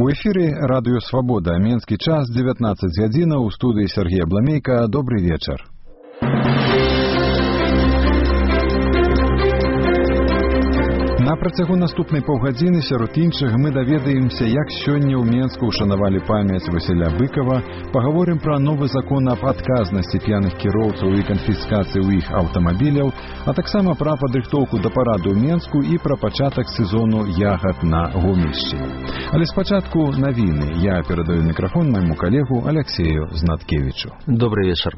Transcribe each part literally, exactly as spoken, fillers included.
У эфире радио «Свобода». Менский час, девятнадцать гадзінаў. У студии Сергей Бламейко. Добрый вечер. На працягу наступнай паўгадзіны сярод іншых мы даведаемся, як сёння ў Менску ушанавалі памяць Васіля Быкова, паговорым пра новы закон аб адказнасці п'яных кіроўцаў і канфіскацыі ў іх аўтамабіляў, а таксама пра падрыхтоўку да параду ў Менску і пра пачатак сезону ягад на Гомельшчыне. Але спачатку навіны. Я перадаю мікрафон майму калегу Алексею Знаткевичу. Добрый вечер.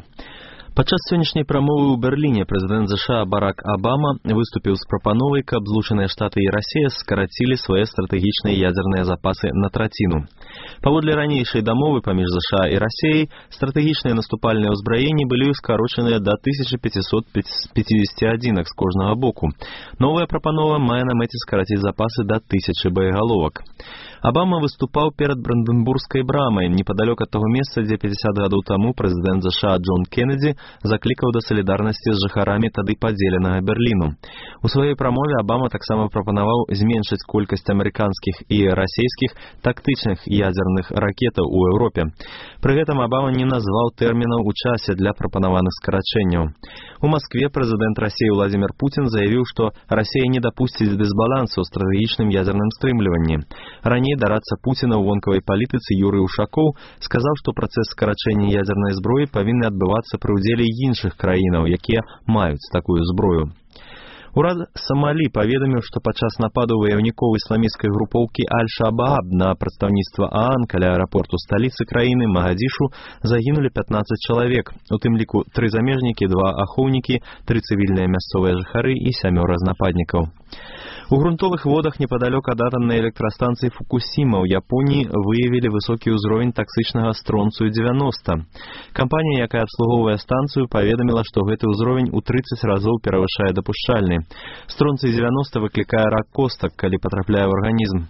Падчас сённяшняй прамовы ў Берліне прэзідэнт ЗША Барак Абама выступіў з прапановай, каб Злучаныя Штаты і Расія скарацілі свае стратэгічныя ядзерныя запасы на траціну. Паводле ранейшай дамовы паміж ЗША і Расіяй, стратэгічныя наступальныя ўзбраенні былі скарочаныя да тысяча пятьсот пятьдесят адзінак з кожнага боку. Новая прапанова мае на мэце скараціць запасы да тысячы боегаловак. Абама выступаў перад Бранденбургскай брамай, непадалёк ад таго месца, дзе пятьдесят гадоў таму прэзідэнт ЗША Джон Кеннеді заклікаў да салідарнасці з жыхарамі тады падзеленага Берліну. У сваёй прамове Абама таксама прапанаваў зменшыць колькасць амерыканскіх і расійскіх тактычных ядзерных ракетаў у Еўропе. Пры гэтым Абама не назваў тэрмінаў у часе для прапанаваных скарачэнняў. У Маскве прэзідэнт Расіі Владзімір Пуцін заявіў, што Расія не дапусціць дысбалансу ў стратэгічным ядзерным стрымліванні. Раней дарадца Пуціна ў вонкавай палітыцы Юрый Ушакоў сказаў, што працэс скарачэння ядзернай зброі павінны адбывацца пры ўдзеле іншых краінаў, якія маюць такую зброю. Урад Самалі паведаміў, што падчас нападу ваяўнікоў ісламісцкай групоўкі Аль-Шабааб на прадстаўніцтва ААН каля аэрапорту сталіцы краіны Магадзішу загінулі пятнаццаць чалавек, у тым ліку тры замежнікі, два ахоўнікі, тры цывільныя мясцовыя жыхары і сямёра з нападнікаў. У грунтовых водах непадалёк ад атамнай электрастанцыі Фукусіма ў Японіі выявілі высокі ўзровень таксычнага стронцыю дзевяноста. Кампанія, якая абслугоўвае станцыю, паведаміла, што гэты ўзровень у трыццаць разоў перавышае дапушчальны. Стронцый дзевяноста выклікае рак костак, калі патрапляе ў арганізм.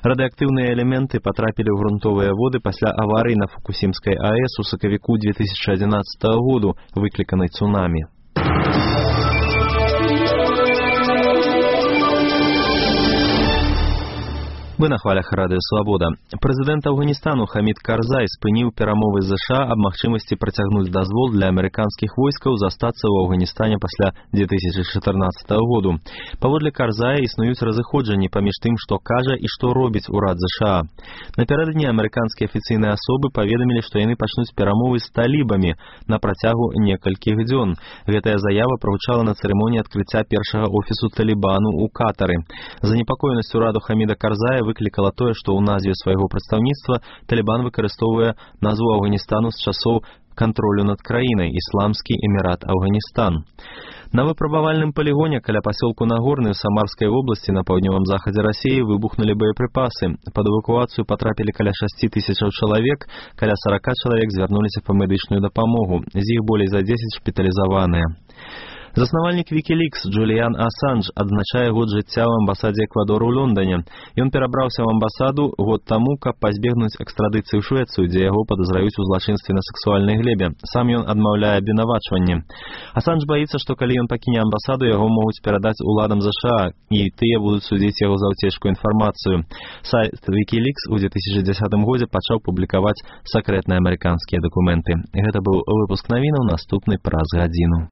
Радыактыўныя элементы патрапілі ў грунтовыя воды пасля аварыі на Фукусімскай АЭС у сакавіку две тысячи адзінаццатага году, выкліканай цунамі. Вы на хвалях радыё «Свобода». Прэзідэнт Афганістану Хамід Карзай спыніў перамовы з ЗША аб магчымасці працягнуць дазвол для амерыканскіх войскаў застацца ў Афганістане пасля две тысячи чатырнаццатага году. Паводле Карзая існуюць разыходжанні паміж тым, што кажа і што робіць урад ЗША. Напярэдадні амерыканскія афіцыйныя асобы паведамілі, што яны пачнуць перамовы з талібамі на працягу некалькіх дзён. Гэтая заява прагучала на цырымоніі адкрыцця першага офісу Талібану ў Катары. Занепакоенасць ураду Хаміда Карзая выклікала тое, што ў назве свайго прадстаўніцтва Талібан выкарыстоўвае назву Афганістану з часоў кантролю над краінай Ісламскі эмірат Афганістан. На выпрабавальным палігоне каля пасёлку Нагорны ў Самарскай вобласці на паўднёвым захадзе Расіі выбухнулі боепрыпасы. Пад эвакуацыю патрапілі каля шасці тысячаў чалавек, каля сорока чалавек звярнуліся па медычную дапамогу, з іх болей за дзесяць шпіталізаваныя. Заснавальнік Wikileaks Джуліян Асанж адзначае год жыцця ў амбасадзе Эквадору ў Лондоне. Ён перабраўся ў амбасаду год таму, каб пазбегнуць экстрадыцыі ў Швецыю, дзе яго падазраюць у злачынстве на сексуальнай глебе. Сам ён адмаўляе абвінавачванні. Асанж баіцца, што калі ён пакіне амбасаду, яго могуць перадаць уладам ЗША, і тыя будуць судзіць яго за ўцечку інфармацыю. Сайт Wikileaks у две тысячи дзесятым годзе пачаў публікаваць сакрэтныя амерыканскія дакументы. Гэта быў выпуск навінаў, наступны праз гадзіну.